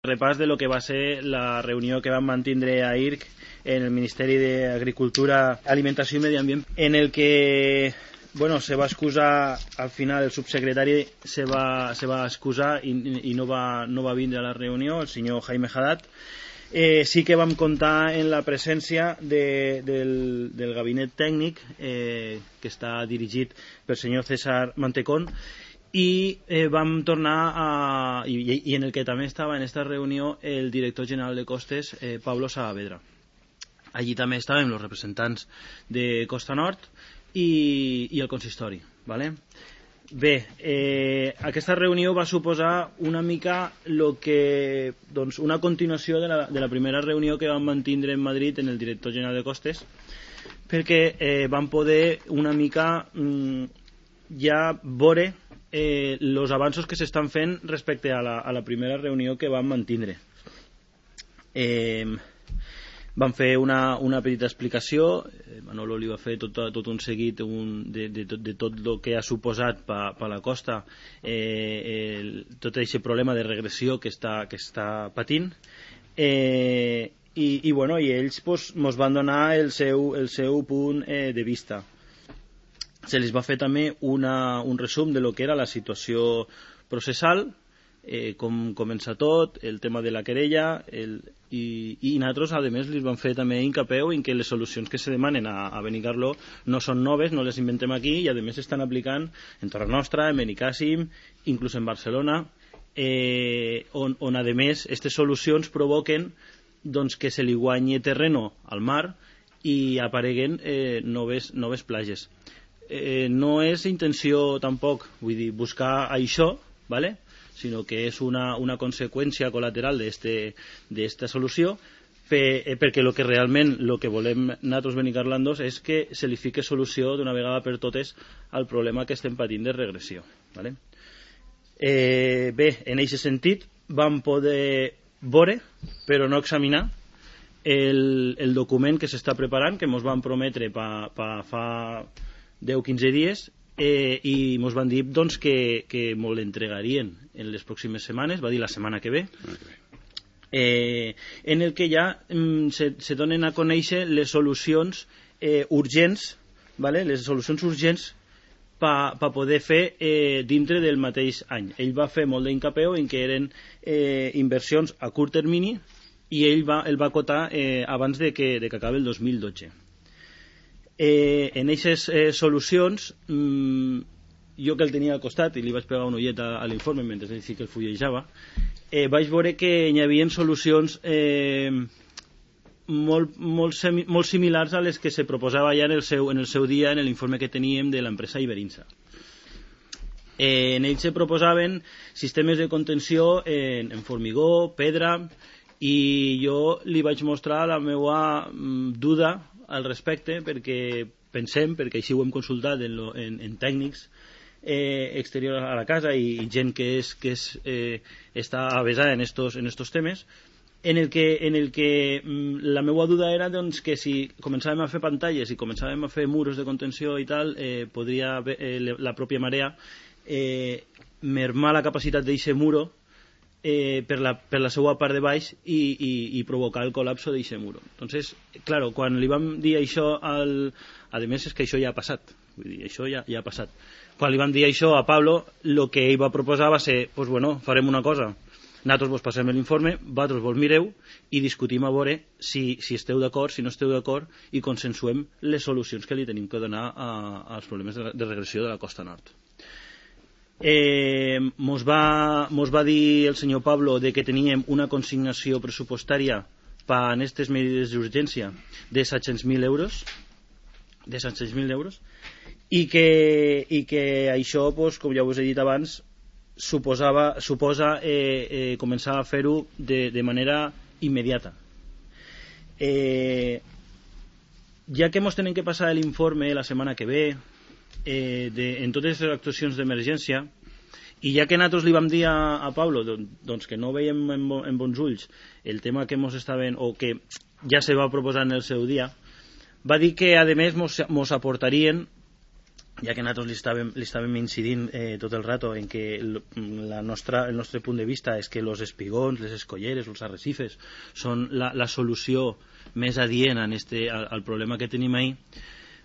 repàs de lo que va ser la reunió que van mantenir a IRC en el Ministeri d'Agricultura, Alimentació i Medi Ambient, en el que se va excusar al final el subsecretari se va excusar i no va vindre a la reunió, el senyor Jaime Haddad. Sí que vam comptar en la presència del gabinet tècnic que està dirigit pel senyor César Mantecón, i vam tornar i en el que també estava en aquesta reunió el director general de Costes, Pablo Saavedra. Allí també estaven els representants de Costa Nord i el consistori, ¿vale? Bé, aquesta reunió va suposar una mica una continuació de la primera reunió que vam mantenir en Madrid en el director general de Costes, perquè vam poder una mica ja veure els avanços que s'estan fent respecte a la primera reunió que vam mantenir. Vam fer una petita explicació, Manolo li va fer tot un seguit de tot el que ha suposat per la costa tot aquest problema de regressió que està patint, i ells ens van donar el seu punt de vista. Se les va fer també un resum de lo que era la situació processal, com comença tot, el tema de la querella, i nosaltres a més les vam fer també hincapeu en que les solucions que se demanen a Benicarló no són noves, no les inventem aquí, i a més s'estan aplicant en Torre Nostra, en Benicàssim, inclús en Barcelona, on a més aquestes solucions provoquen que se li guanyi terreno al mar i apareguen noves plages. No és intenció tampoc, vull dir, buscar això, ¿vale?, sinó que és una conseqüència col·lateral d'esta solució, perquè el que realment que volem nosaltres benicarlandos és que se li fique solució d'una vegada per totes al problema que estem patint de regressió, ¿vale? Bé, en aquest sentit vam poder veure, però no examinar, el document que s'està preparant, que ens van prometre fa 10-15 dies, i ens van dir que ens l'entregarien en les pròximes setmanes, va dir la setmana que ve, en el que ja se donen a conèixer les solucions urgents, ¿vale?, les solucions urgents per poder fer dintre del mateix any. Ell va fer molt d'incapeu en que eren inversions a curt termini, i ell va acotar abans de que acabi el 2012. En aquestes solucions, jo que el tenia al costat i li vaig pegar un ullet a l'informe mentre ell sí que el fullejava, vaig veure que hi havia solucions molt similars a les que se proposava ja en el seu dia en l'informe que teníem de l'empresa Iberinsa. En ells se proposaven sistemes de contenció en formigó, pedra, i jo li vaig mostrar la meva duda al respecte, perquè així ho hem consultat en tècnics exteriors a la casa i gent que està avesada en estos temes, en el que la meva duda era que si començàvem a fer pantalles i començàvem a fer muros de contenció i tal, podria la pròpia marea mermar la capacitat d'aquest muro per la seva part de baix i provocar el col·lapso d'aquest muro. Entonces, claro, quan li vam dir això a més és que això ja ha passat, vull dir, això ja ha passat. Quan li vam dir això a Pablo, el que ell va proposar va ser, pues bueno, farem una cosa, nosaltres vos passem l'informe, vosaltres vos mireu i discutim a veure si esteu d'acord, si no esteu d'acord, i consensuem les solucions que li tenim que donar als problemes de regressió de la Costa Nord. Mos va dir el senyor Pablo de que teníem una consignació pressupostària per a aquestes mesures d'urgència de 700.000 euros, i que això, com ja us he dit abans, suposa començar a fer-ho de manera immediata. Ja que ens tenen que passar l'informe la setmana que ve en totes les actuacions d'emergència, i ja que nosaltres li vam dir a Pablo que no veiem en bons ulls el tema que ens estaven, o que ja se va proposar en el seu dia, va dir que a més ens aportarien ja que nosaltres li estàvem incidint tot el rato en que el nostre punt de vista és que els espigons, les escolleres, els arrecifes són la solució més adient al problema que tenim ahí,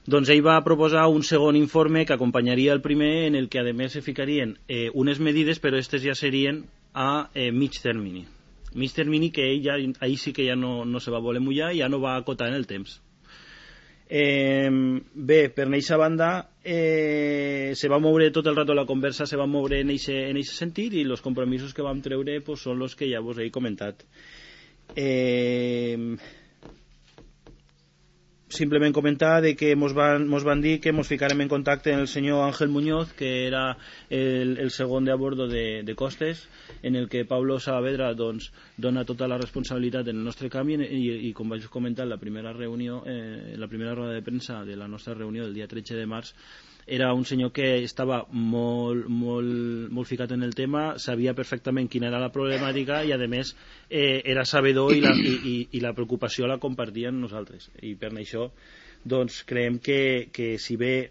doncs ell va proposar un segon informe que acompanyaria el primer, en el que a més se ficarien unes medides, però aquestes ja serien a mig termini. Mig termini que ell ahí sí que ja no se va voler mullar i ja no va acotar en el temps. Bé, per aquesta banda se va moure tot el rato la conversa, se va moure en aquest sentit, i els compromisos que vam treure pues, són els que ja vos he comentat. Simplement comentar de que mos van dir que mos ficarem en contacte amb el senyor Ángel Muñoz, que era el segon de a bordo de Costes, en el que Pablo Saavedra doncs, dona tota la responsabilitat en el nostre canvi, i com vaig comentar en la primera reunió, la primera roda de premsa de la nostra reunió del dia 13 de març, era un senyor que estava molt ficat en el tema, sabia perfectament quina era la problemàtica i a més era sabedor i la preocupació la compartien nosaltres, i per això doncs creiem que si bé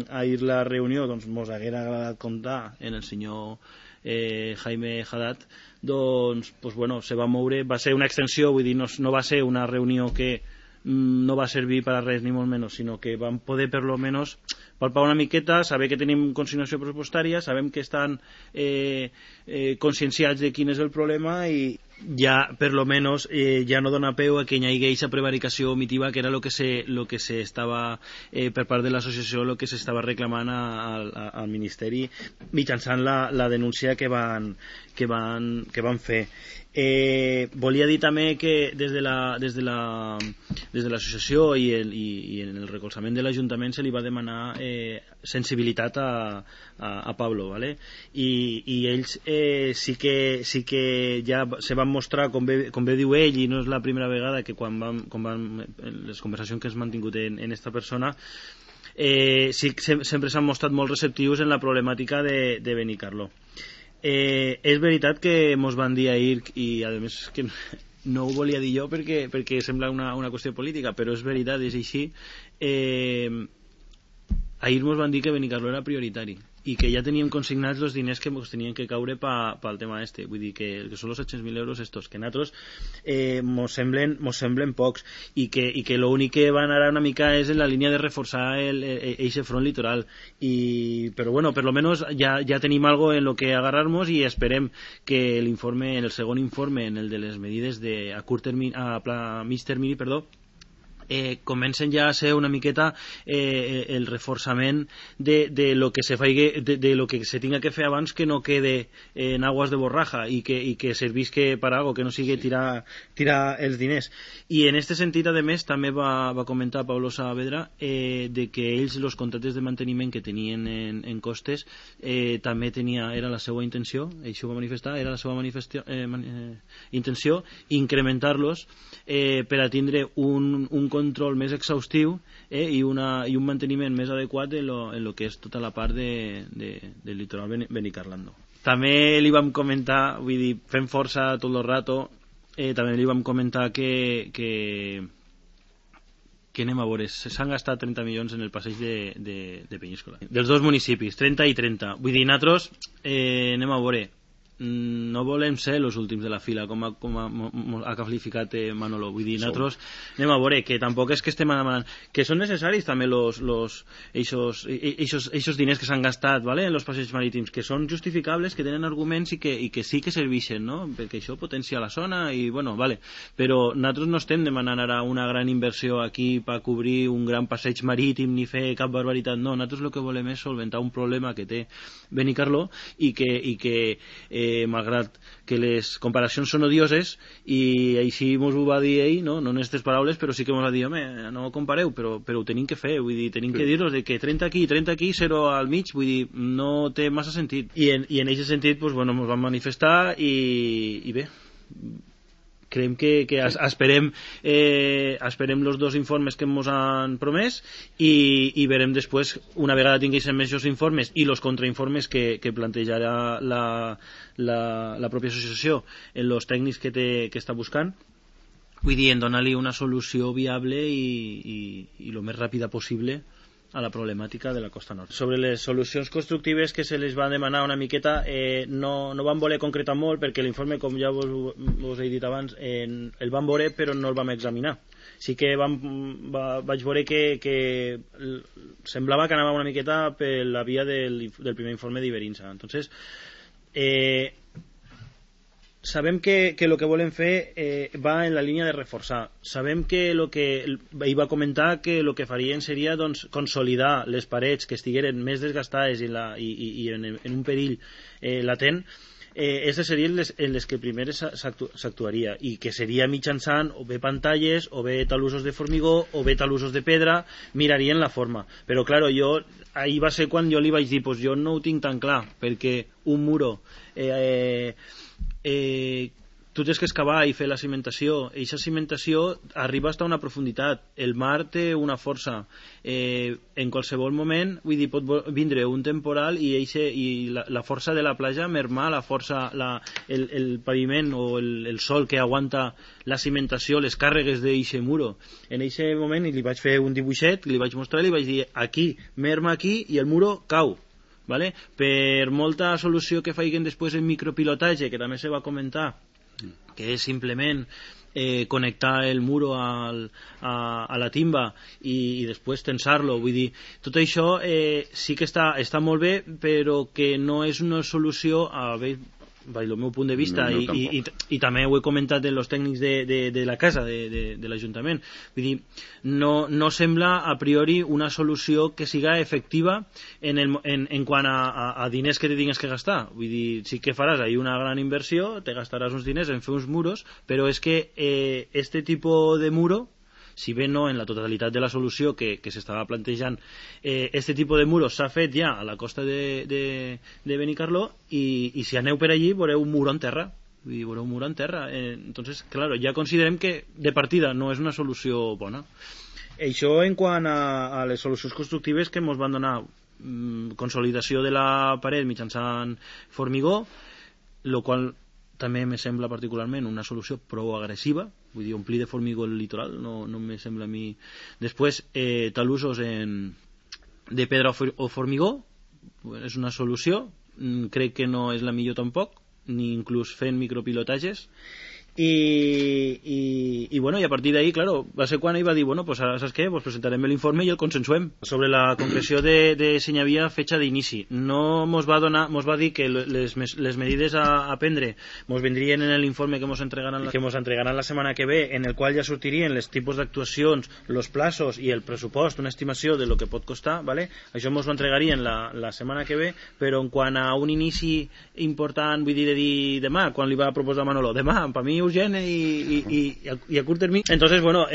ahir la reunió doncs mos haguera agradat comptar en el senyor Jaime Haddad, doncs bueno, se va moure, va ser una extensió, vull dir, no va ser una reunió que no va servir per a res ni molt menys, sinó que vam poder per lo menos palpar una miqueta, saber que tenim consignació pressupostària, sabem que estan conscienciats de quin és el problema, i ja per lo menos ja no dona peu a que hi hagi aquesta prevaricació omitiva, que era lo que se estava per part de l'associació, lo que s'estava reclamant al Ministeri mitjançant la denúncia que van fer. Volia dir també que des de l'associació i en el recolzament de l'Ajuntament se li va demanar sensibilitat a Pablo, ¿vale? I ells sí que ja se van mostrar, com bé diu ell, i no és la primera vegada que quan les conversacions que has mantingut en esta persona, sí que sempre s'han mostrat molt receptius en la problemàtica de Benicarló. És veritat que mos van dir ahir, i a més que no ho volia dir jo perquè sembla una qüestió política, però és veritat, és així, ahir mos van dir que Benicarló era prioritari i que ja teníem consignats els diners que ens tenien que caure pel tema este, vull dir que són els 700.000 euros estos, que nosaltres mos semblen pocs, i que l'únic que va anar una mica és en la línia de reforçar eixe front litoral, però bueno, per lo menos ja tenim algo en lo que agarrar-nos, i esperem que l'informe, en el segon informe, en el de les medides a mig termini, comencen ja a ser una miqueta el reforçament de lo que se faci, de lo que se tinga que fer abans, que no quede en aguas de borraja i que servisque per algo, que no sigui tirar els diners. I en aquest sentit, a més, també va comentar Pablo Saavedra de que ells, els contractes de manteniment que tenien en Costes, també era la seva intenció, això va manifestar, era la seva intenció incrementar-los per a tindre un control més exhaustiu i un manteniment més adequat en lo que és tota la part del litoral benicarlando. També li vam comentar, vull dir, fent força tot el rato, també li vam comentar que anem a veure, s'han gastat 30 milions en el passeig de Penyíscola, dels dos municipis, 30 i 30, vull dir, nosaltres anem a veure, no volem ser els últims de la fila, com ha qualificat Manolo, vull dir, nosaltres anem a veure, que tampoc és que estem demanant, que són necessaris també eixos diners que s'han gastat, ¿vale?, en els passeigs marítims, que són justificables, que tenen arguments i que sí que serveixen, no?, perquè això potencia la zona i bueno, vale, però nosaltres no estem demanant ara una gran inversió aquí per cobrir un gran passeig marítim ni fer cap barbaritat, no, nosaltres el que volem és solventar un problema que té Benicarló i que malgrat que les comparacions són odioses, i així mos ho va dir ell, no en aquestes paraules, però sí que mos va dir, home, no compareu, però ho tenim que fer, vull dir, tenim que dir-los de que 30 aquí, 0 al mig, vull dir, no té massa sentit, i en aquest sentit pues, bueno, mos vam manifestar i bé, creiem que esperem els dos informes que ens han promès i verem després, una vegada tinguéssim més els informes i els contrainformes que plantejarà la pròpia associació en els tècnics que està buscant, vull dir, en donar-li una solució viable i el més ràpida possible a la problemàtica de la costa nord. Sobre les solucions constructives que se les va demanar una miqueta, no van voler concretar molt perquè l'informe, com ja vos he dit abans, el van veure però no el vam examinar. Sí que vaig veure que semblava que anava una miqueta per la via del primer informe d'Iberinsa. Entonces, sabem que lo que volen fer va en la línia de reforçar. Sabem que lo que ell va comentar que el que farien seria doncs, consolidar les parets que estigueren més desgastades i en un perill latent. Aquestes serien les que primer s'actuaria, i que seria mitjançant o bé pantalles, o bé talussos de formigó, o bé talussos de pedra, mirarien la forma. Però, claro, ahir va ser quan jo li vaig dir, pues jo no ho tinc tan clar, perquè un muro tu tens que excavar i fer la cimentació. Eixa cimentació arriba fins a una profunditat. El mar té una força. En qualsevol moment, vull dir, pot vindre un temporal i la força de la platja mermar la força, el paviment o el sol que aguanta la cimentació, les càrregues d'eixe muro. En eixe moment li vaig fer un dibuixet, li vaig mostrar i li vaig dir aquí, merma aquí i el muro cau. ¿Vale? Per molta solució que facin després en micropilotatge, que també se va comentar, que és simplement connectar el muro a la timba i després tensar-lo, vull dir, tot això sí que està molt bé, però que no és una solució el meu punt de vista, no, i també ho he comentat en els tècnics de la casa, de l'Ajuntament. Vull dir, no sembla a priori una solució que siga efectiva en quant a diners que te tingues que gastar. Vull dir, sí que faràs ahí una gran inversió, te gastaràs uns diners en fer uns muros, però és que este tipus de muro, si bé no en la totalitat de la solució que s'estava plantejant, este tipus de muros s'ha fet ja a la costa de Benicarló, i si aneu per allí veureu un muro en terra. Veureu un muro en terra. Entonces, claro, ja considerem que de partida no és una solució bona. Això en quant a les solucions constructives que ens van donar. Consolidació de la paret mitjançant formigó, el qual també me sembla particularment una solució prou agressiva. Vull dir, omplir de formigó el litoral no me sembla a mi. Després, talussos de pedra o formigó és una solució, crec que no és la millor tampoc, ni inclús fent micropilotatges. I bueno, i a partir d'ahí, claro, va ser quan ell va dir, bueno, pues ara, saps què? Pues presentarem l'informe i el consensuem. Sobre la concreció de si hi havia fetxa d'inici. No mos va dir que les medides a prendre mos vindrien en l'informe que mos entregaran la setmana que ve, en el qual ja sortirien els tipus d'actuacions, els plaços i el pressupost, una estimació de lo que pot costar, ¿vale? Això mos ho entregarien la setmana que ve, però en quant a un inici important, vull dir, de dir demà, quan li va proposar Manolo, demà, per mi urgent i a curt termini. Entonces, bueno,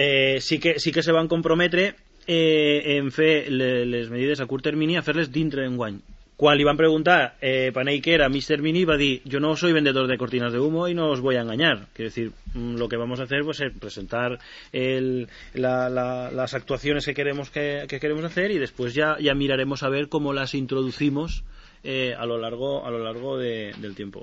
sí que se van comprometre en fer les medides a curt termini, a fer-les dintre d'enguany. Quan li van preguntar Panay que era mig termini, va dir, yo no soy vendedor de cortinas de humo y no os voy a engañar. Quiero decir, lo que vamos a hacer pues, es presentar las actuaciones que queremos hacer, y después ya miraremos a ver cómo las introducimos a lo largo del tiempo.